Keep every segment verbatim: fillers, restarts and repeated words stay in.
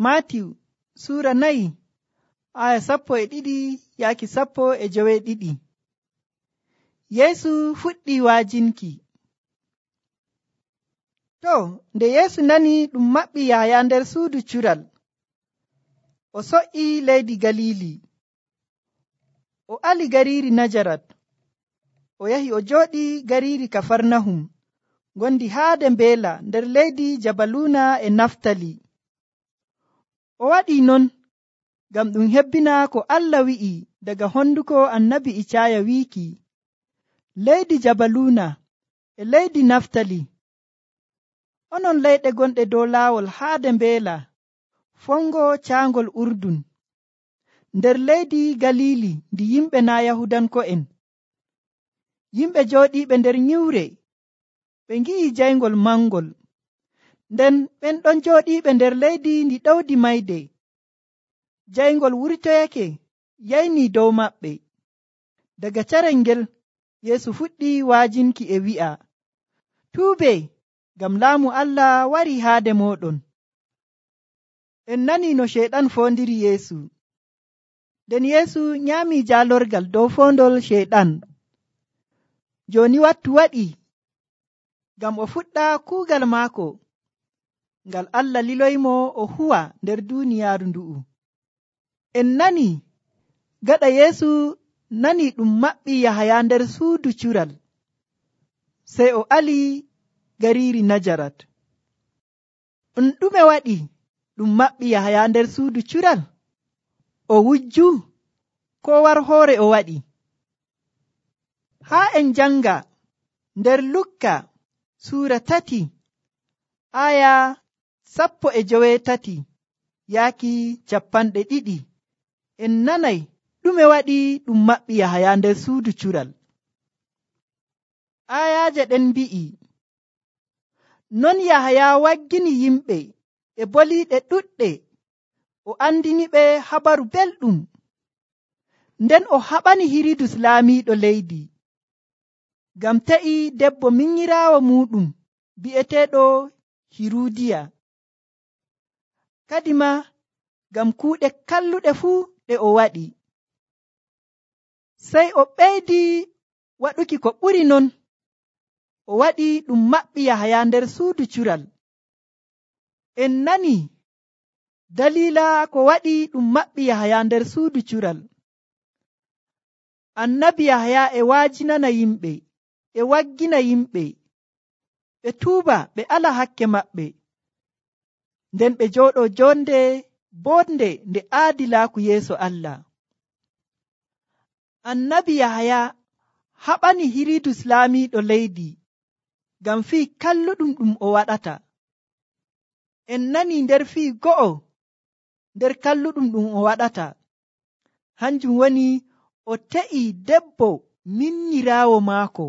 Maatiw suura nayi aya sappo e ɗiɗi yaaki sappo e joweeɗiɗi. Yeesu fuɗɗi waajinki. To, nde Yeesu nani ɗum maɓɓi Yahaya nder suudu cural, o so'ii leydi Galiili. O ali gariiri Najarat, o yahi o jooɗii gariiri Kafarnahum, gondi haade mbeela nder leydi Jabaluuna e Naftali. O waɗii non ngam ɗum hebbina ko Allah wi'i daga honduko annabi Icaaya wiiki, leydi Jabaluuna e leydi Naftali, onon leyɗe gonɗe dow laawol haade mbeela fongo caangol Urdun, nder leydi Galiili ndi yimɓe naa Yahudanko'en. Yimɓe jooɗiiɓe nder nyiwre ɓe ngi'i jayngol mangol, nden ɓen ɗon jooɗiiɓe nder leydi ndi ɗowdi mayde, jayngol wurtoyake yaynii dow maɓɓe. Daga carel ngel Yeesu fuɗɗi waajinki e wi'a, tuubee, ngam laamu Allah warii haade mooɗon. En nanii no Ceyɗan foondiri Yeesu. Nden Yeesu nyaamii jaalorgal dow foondol Ceyɗan. Jooni wattu waɗii ngam o fuɗɗa kuugal maako ngal Allah liloymo o huwa nder duuniyaaru ndu'u. En nanii gaɗa Yeesu nanii ɗum maɓɓi Yahaya nder suudu cural, sey o ali gariiri Najarat. Ɗum ɗume waɗi ɗum maɓɓi Yahaya nder suudu cural? O wujju koo war hoore o waɗi? Haa en janga nder Lukka suura tati aya sappo e joweetati yaaki cappanɗe ɗiɗi, en nanay ɗume waɗi ɗum maɓɓi Yahaya nder suudu cural. Ayaaje ɗen mbi'i, non Yahaya waggini yimɓe e boliiɗe ɗuɗɗe, o andiniɓe habaru belɗum, nden o haɓani Hiridus laamiiɗo leydi, ngam ta'i debbo minyiraawo muuɗum bi'eteeɗo Hiruudiya, kadima ngam kuuɗe kalluɗe fuu ɗe o waɗi. Sey o ɓeydi waɗuki ko ɓuri non, o waɗi ɗum maɓɓi Yahaya nder suudu cural. En nani daliila ko waɗi ɗum maɓɓi Yahaya nder suudu cural. Annabi Yahaya e waajinana yimɓe, e waggina yimɓe ɓe tuuba ɓe ala hakke maɓɓe, nden ɓe jooɗo jonde boonde nde aadilaaku yeeso Allah. Annabi Yahaya haɓani Hiridus laamiiɗo leydi ngam fii kalluɗum ɗum o waɗata. En nani nder fii go'o nder kalluɗum ɗum o waɗata, hanjum woni o te'i debbo minyiraawo maako.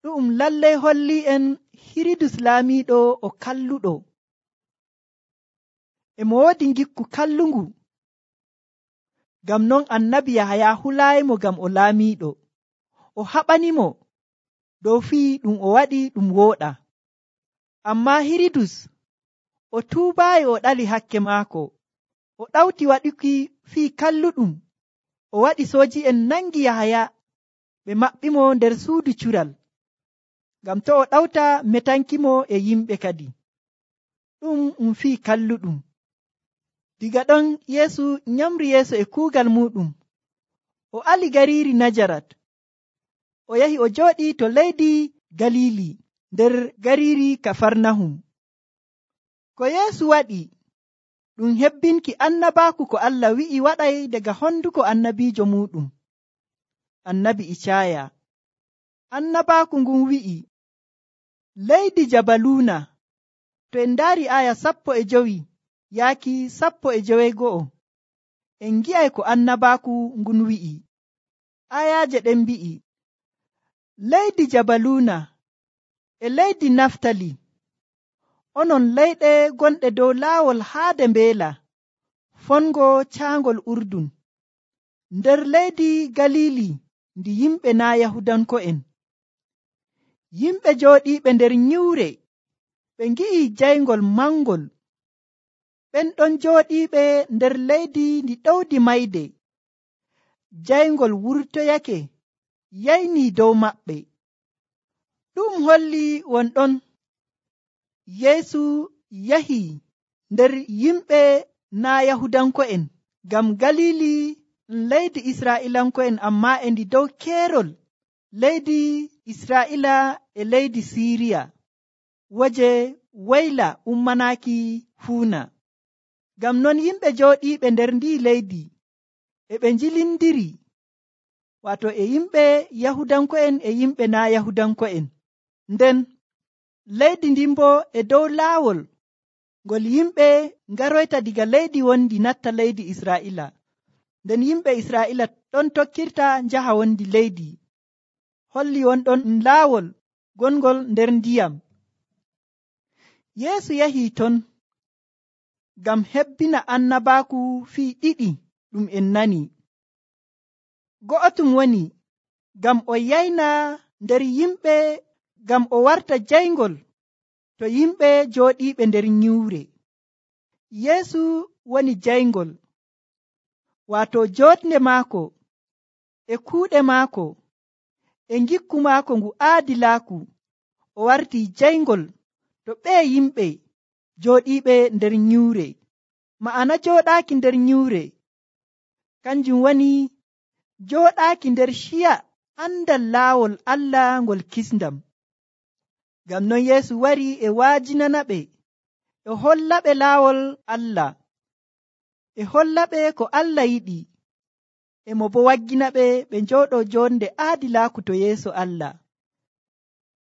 Ɗum lallay holli en Hiridus laamiiɗo o kalluɗo, e mo woodi ngikku kallungu. Ngam non annabi Yahaya hulaayimo ngam o laamiiɗo, o haɓanimo dow fii ɗum o waɗi ɗum wooɗa. Ammaa Hiridus o tuubaayi, o ɗali hakke maako, o ɗawti waɗuki fii kalluɗum, o waɗi sooji'en nangi Yahaya ɓe maɓɓimo nder suudu cural, ngam to o ɗawta metankimo e yimɓe kadi. Ɗum um fii kalluɗum. Diga ɗon Yeesu nyamri yeeso e kuugal muɗum, o ali gariiri Najarat, o yahi o jooɗii to leydi Galiili nder gariiri Kafarnahum. Ko Yeesu waɗi ɗum hebbinki annabaaku ko Allah wi'i waɗay daga honduko annabiijo muɗum, annabi Icaaya. Annabaaku ngun wi'i, leydi Jabaluuna, to en ndaari aya sappo e jowi yaaki sappo e joweego'o, en ngi'ay ko annabaaku ngun wi'i. Ayaaje ɗen mbi'i, leydi Jabaluuna e leydi Naftali, onon leyɗe gonɗe dow laawol haade mbeela fongo caangol Urdun, nder leydi Galiili ndi yimɓe naa Yahudanko'en. Yimɓe jooɗiiɓe nder nyiwre ɓe ngi'i jayngol mangol, ɓen ɗon jooɗiiɓe nder leydi ndi ɗowdi mayde. Jayngol wurtoyake yaynii dow maɓɓe. Ɗum holli wonɗon Yeesu yahi nder yimɓe naa Yahudanko'en, ngam Galili leydi Israa'iilanko'en, ammaa e ndi dow keerol leydi Israa'iila e leydi Siiriya, woje wayla ummanaaki fuuna. Ngam non yimɓe jooɗiiɓe nder ndii leydi e ɓe njilindiri, waato e yimɓe Yahudanko'en e yimɓe naa Yahudanko'en. Nden leydi ndin boo e dow laawol ngol yimɓe ngaroyta diga leydi wondi natta leydi Israa'iila. Nden yimɓe Israa'iila ɗon tokkirta njaha wondi leydi. Holli wonɗon laawol gongol nder ndiyam. Yeesu yahii ton ngam hebbina annabaaku fii ɗiɗi ɗum en nani. Go'otum woni ngam o yayna nder yimɓe, ngam o warta jayngol to yimɓe jooɗiiɓe nder nyiwre. Yeesu woni jayngol, waato jooɗnde maako e kuuɗe maako e ngikku maako ngu aadilaaku, o wartii jayngol to ɓee yimɓe jooɗiiɓe nder nyiwre. Ma'ana jooɗaaki nder nyiwre kanjum woni jooɗaaki nder ciya andal laawol Allah ngol kisndam. Ngam non Yeesu wari e waajinanaɓe, e hollaɓe laawol Allah, e hollaɓe ko Allah yiɗi, e mo bo wagginaɓe ɓe njooɗo jonde aadilaaku to yeeso Allah.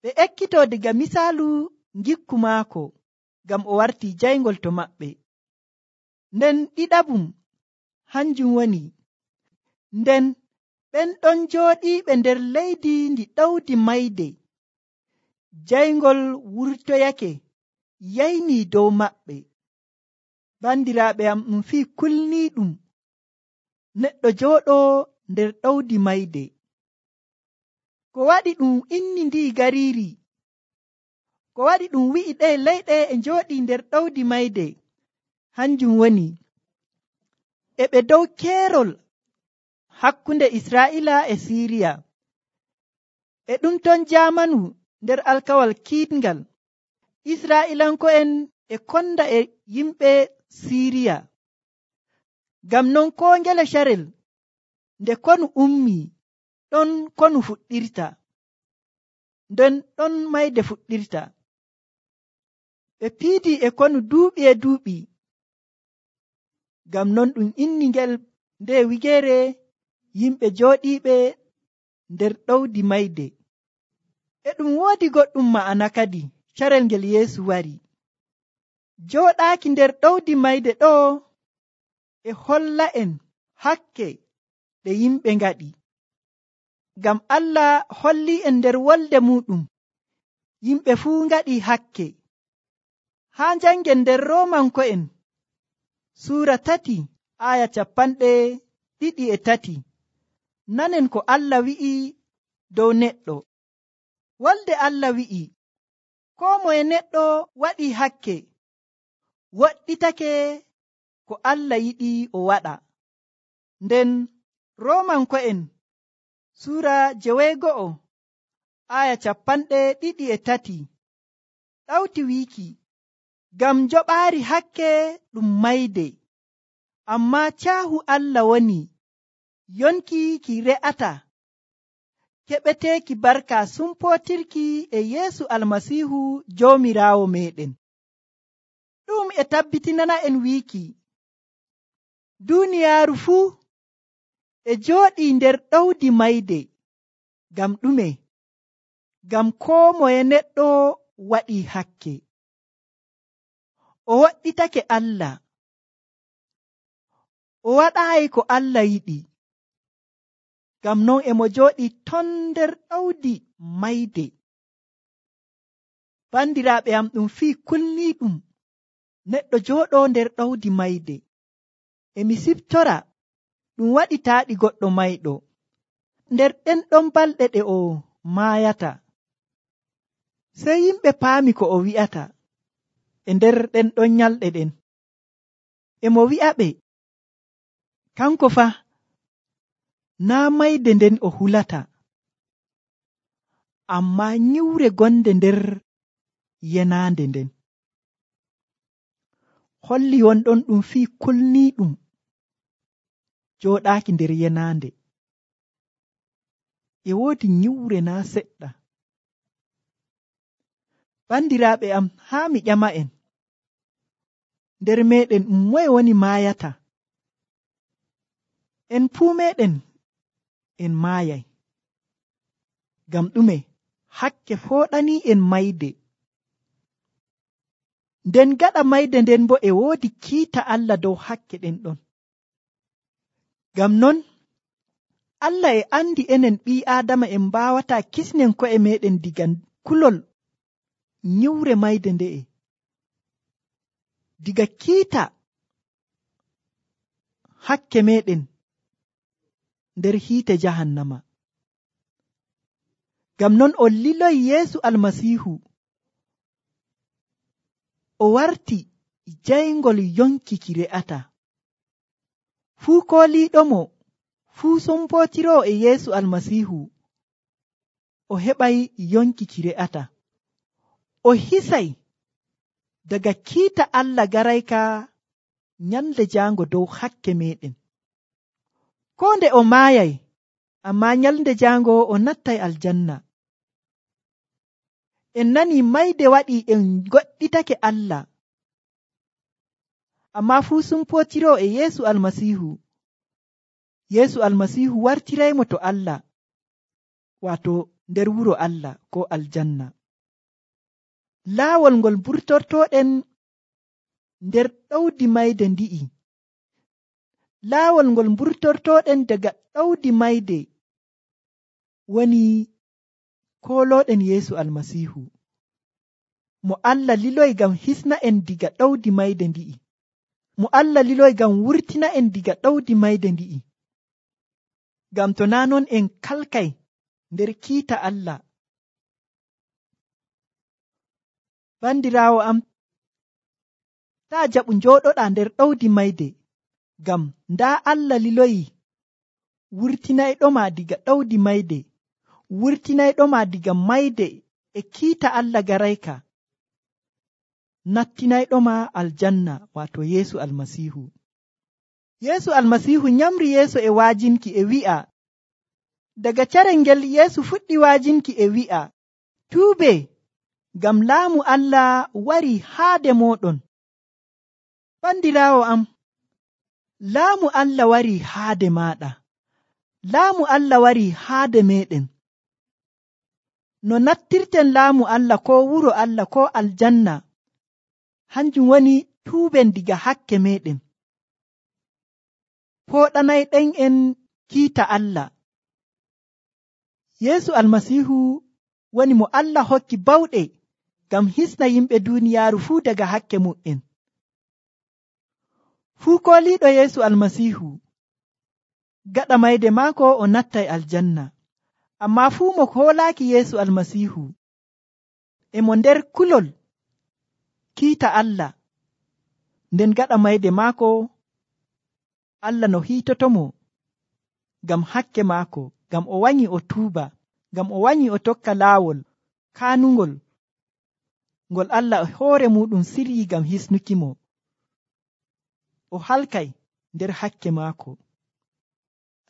Ɓe ekkito diga misaalu ngikku maako, ngam o wartii jayngol to maɓɓe. Nden ɗiɗaɓum hanjum woni, nden ɓen ɗon jooɗiiɓe nder leydi ndi ɗowdi mayde, jayngol wurtoyake yaynii dow maɓɓe. Bandiraaɓe am, ɗum fii kulniiɗum neɗɗo jooɗo nder ɗowdi mayde. Ko waɗi ɗum inni ndi gariiri, ko waɗi ɗum wi'i ɗe leyɗe e njooɗii nder ɗowdi mayde, hanjum woni e ɓe dow keerol hakkunde Israa'iila e Siiriya. E ɗum ton jaamanu nder alkawal kiiɗngal, Israa'iilanko'en e konda e yimɓe Siiriya. Ngam non koo ngele carel nde konu ummii, ɗon konu fuɗɗirta, nden ɗon mayde fuɗɗirta. Ɓe piidii e konu duuɓi e duuɓi. Ngam non ɗum inni ngel nde wigeere yimɓe jooɗiiɓe nder ɗowdi mayde. E ɗum woodi goɗɗum ma'ana kadi carel ngel Yeesu wari. Jooɗaaki nder ɗowdi mayde ɗo e holla en hakke ɗe yimɓe ngaɗi. Ngam Allah holli en nder wolde muɗum yimɓe fuu ngaɗi hakke. Haa njangen nder Roomanko'en suura tati aya capanɗe ɗiɗi e tati, nanen ko Allah wi'i dow neɗɗo. Wolde Allah wi'i, koo moye neɗɗo waɗi hakke, woɗɗitake ko Allah yiɗi o waɗa. Nden Roomanko'en suura jeweego'o aya capanɗe ɗiɗi e tati ɗawti wiiki, ngam joɓaari hakke ɗum mayde, ammaa caahu Allah woni yonki ki re'ata keɓeteeki barka sumpootirki e Yeesu Almasiihu Joomiraawo meeɗen. Ɗum e tabbitinana en wiiki duuniyaaru fuu e jooɗii nder ɗowdi mayde. Ngam ɗume? Ngam koo moye neɗɗo waɗii hakke, o woɗɗitake Allah, o waɗaayi ko Allah yiɗi. Ngam non e mo jooɗii ton nder ɗowdi mayde. Bandiraaɓe am, ɗum fii kulniiɗum neɗɗo jooɗo nder ɗowdi mayde. E mi siftora ɗum waɗitaaɗi goɗɗo mayɗo nder ɗen ɗon balɗe ɗe o maayata. Sey yimɓe paami ko o wi'ata e nder ɗen ɗon nyalɗe ɗen. e mo wi'aɓe kanko fa naa mayde nden o hulata, ammaa nyiwre gonde nder yenaande nden. Holli wonɗon ɗum fii kulniiɗum jooɗaaki nder yenaande. E woodi nyiwre naa seɗɗa. Bandiraaɓe am, haa mi ƴama'en, nder meeɗen ɗum moye woni maayata? En fuu meeɗen en maayay. Ngam ɗume? Hakke fooɗanii en mayde. Nden gaɗa mayde nden bo e woodi kiita Allah dow hakke ɗen ɗon. Ngam non, Allah e andi enen ɓii Aadama en mbaawataa kisnen ko'e meeɗen diga kulol nyiwre mayde nde'e. Diga kiita hakke meeɗen nder hiite jahannama. Ngam non o liloyi Yeesu Almasiihu o warti jayngol yonki ki re'ata. Fuu kooliiɗomo, fuu sompootiroo e Yeesu Almasiihu o heɓay yonki ki re'ata. O hisay daga kiita Allah garayka nyalde jaango dow hakke meeɗen. Koo nde o maayay, ammaa nyalde jaango o nattay aljanna. En nanii mayde waɗii en goɗɗitake Allah, ammaa fuu sumpootiroo e Yeesu Almasiihu. Yeesu Almasiihu wartiraymo to Allah, waato nder wuro Allah koo aljanna. Laawol ngol mburtortooɗen nder ɗowdi mayde ndi'i. Laawol ngol mburtortooɗen daga ɗowdi mayde woni koolooɗen Yeesu Almasiihu, mo Allah liloyi ngam hisna en diga ɗowdi mayde ndi'i. Mo Allah liloyi ngam wurtina en diga ɗowdi mayde ndi'i. Ngam to naa non en kalkay nder kiita Allah. Bandiraawo am, taa jaɓu njooɗoɗaa nder ɗowdi mayde, ngam ndaa Allah liloyi wurtinayɗoma diga ɗowdi mayde, wurtinayɗoma diga mayde e kiita Allah garayka, nattinayɗoma aljanna, waato Yeesu Almasiihu. Yeesu Almasiihu nyamri yeeso e waajinki e wi'a, daga carel ngel Yeesu fuɗɗi waajinki e wi'a, tuube, ngam laamu Allah warii haade mooɗon. Bandiraawo am, laamu Allah warii haade maaɗa. Laamu Allah warii haade meeɗen. No nattirten laamu Allah koo wuro Allah koo aljanna, hanjum woni tuuben diga hakke meeɗen. Fooɗanayɗen en kiita Allah. Yeesu Almasiihu woni mo Allah hokki bawɗe ngam hisna yimɓe duuniyaaru fuu daga hakke mu'en. Fuu kooliiɗo Yeesu Almasiihu, gaɗa mayde maako o nattay aljanna. Ammaa fuu mo hoolaaki Yeesu Almasiihu, e mo nder kulol kiita Allah, nden gaɗa mayde maako Allah no hiitotomo ngam hakke maako, ngam o wanyi o tuuba, ngam o wanyi o tokka laawol kaanungol ngol Allah e hoore muɗum siryi ngam hisnukimo. O halkay nder hakke maako.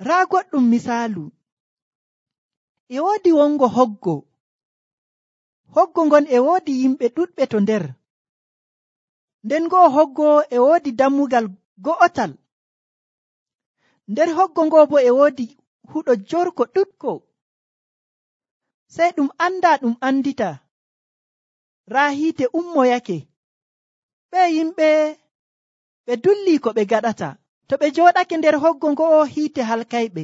Raa goɗɗum misaalu, e woodi wongo hoggo. Hoggo ngon e woodi yimɓe ɗuɗɓe to nder. Nden go'o hoggo e woodi dammugal go'otal. Nder hoggo ngo bo e woodi huɗo jorko ɗuɗko. Sey ɗum anda ɗum andita, raa hiite ummoyake. Ɓe yimɓe ɓe dulli ko ɓe gaɗata. To ɓe jooɗake nder hoggo ngo'o hiite halkayɓe.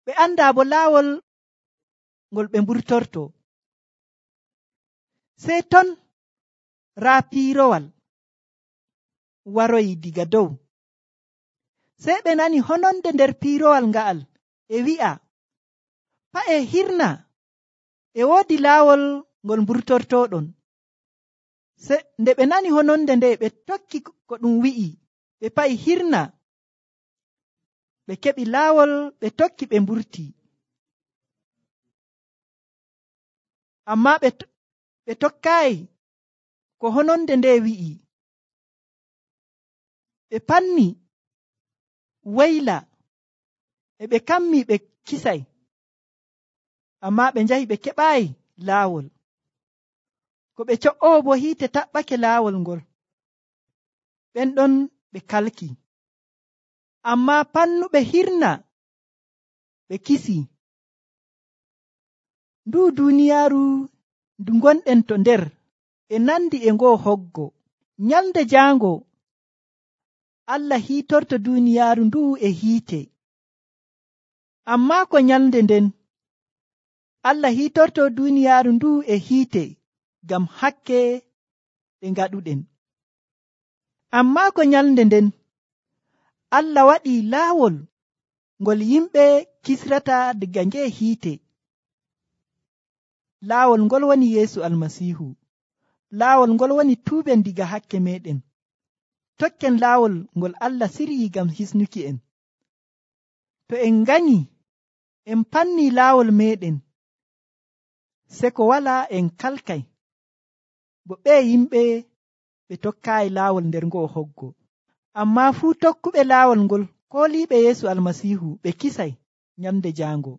Ɓe anda bo laawol ngol ɓe mburtorto. Sey ton raa piirowal waroyi diga dow. Sey ɓe nani hononde nder piirowal nga'al e wi'a, pa'e hirna, e woodi laawol ngol mburtortoɗon. Nde ɓe nani hononde nde, ɓe tokki ko ɗum wi'i, ɓe pa'i hirna, ɓe keɓi laawol ɓe tokki ɓe mburti. Amma ɓe, ɓe tokkaayi ko hononde nde wi'i. Ɓe panni wayla, e ɓe kammi ɓe kisay, amma ɓe njahi ɓe keɓaayi laawol. Ko ɓe co'oo bo hiite taɓɓake laawol ngol, ɓen ɗon ɓe kalki. Amma pannuɓe hirna ɓe kisi. Ndu duuniyaaru ndu gonɗen to nder e nandi e ngoo hoggo. Nyalnde jaango Allah hiitorto duuniyaaru ndu e hiite. Amma ko nyalnde nden Allah hiitorto duuniyaaru ndu e hiite ngam hakke ɗe ngaɗuɗen. Amma ko nyalnde nden Allah waɗii laawol ngol yimɓe kisrata diga ngee hiite. Laawol ngol woni Yeesu Almasiihu. Laawol ngol woni tuuben diga hakke meɗen. Tokken laawol ngol Allah siryii ngam hisnuki en. To en nganyi en panni laawol meɗen, se ko walaa en kalkay, bo ɓe yimɓe ɓe tokkaayi laawol nder ngoo hoggo. Amma fuu tokkuɓe laawol ngol kooliiɓe Yeesu Almasiihu ɓe kisay nyalnde jaango.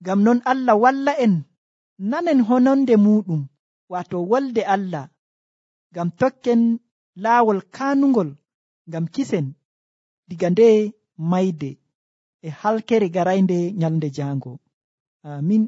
Ngam non Allah walla en nanen hononde muɗum, waato wolde Allah, ngam tokken laawol kaanungol ngam kisen diga nde mayde e halkere garaynde nyalnde jaango. Amin.